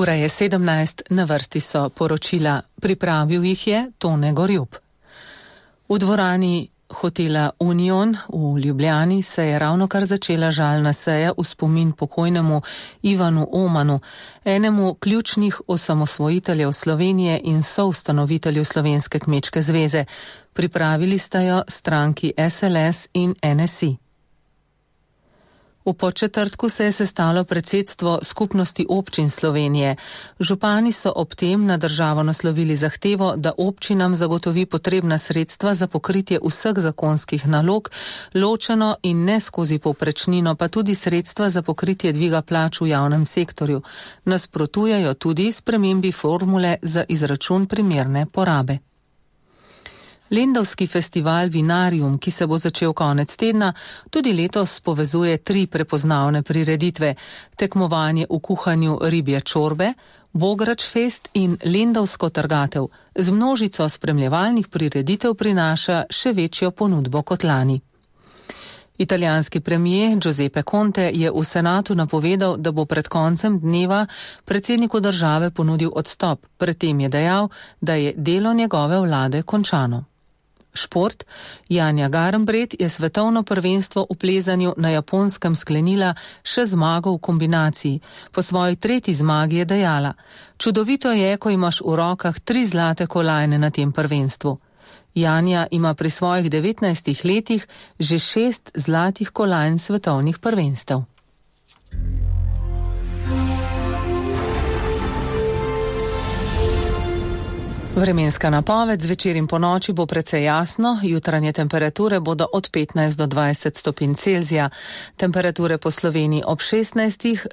Ura je 17, na vrsti so poročila. Pripravil jih je Tone Gorjup. V dvorani hotela Union v Ljubljani se je ravnokar začela žalna seja v spomin pokojnemu Ivanu Omanu, enemu ključnih osamosvojiteljev Slovenije in soustanovitelju Slovenske kmečke zveze. Pripravili sta jo stranki SLS in NSI. V Podčetrtku se je sestalo predsedstvo Skupnosti občin Slovenije. Župani so ob tem na državo naslovili zahtevo, da občinam zagotovi potrebna sredstva za pokritje vseh zakonskih nalog, ločeno in ne skozi povprečnino, pa tudi sredstva za pokritje dviga plač v javnem sektorju. Nasprotujejo tudi spremembi formule za izračun primerne porabe. Lendavski festival Vinarium, ki se bo začel konec tedna, tudi letos povezuje 3 prepoznavne prireditve: tekmovanje v kuhanju ribje čorbe, Bograč fest in Lendavsko trgatev. Z množico spremljevalnih prireditev prinaša še večjo ponudbo kot lani. Italijanski premier Giuseppe Conte je v senatu napovedal, da bo pred koncem dneva predsedniku države ponudil odstop. Pred tem je dejal, da je delo njegove vlade končano. Šport. Janja Garnbret je svetovno prvenstvo v plezanju na Japonskem sklenila še zmago v kombinaciji. Po svoji 3. zmagi je dejala: čudovito je, ko imaš v rokah 3 zlate kolajne na tem prvenstvu. Janja ima pri svojih 19 letih že 6 zlatih kolajn svetovnih prvenstev. Vremenska napoved: zvečer in ponoči bo precej jasno, jutranje temperature bodo od 15 do 20 stopinj Celzija. Temperature po Sloveniji ob 16,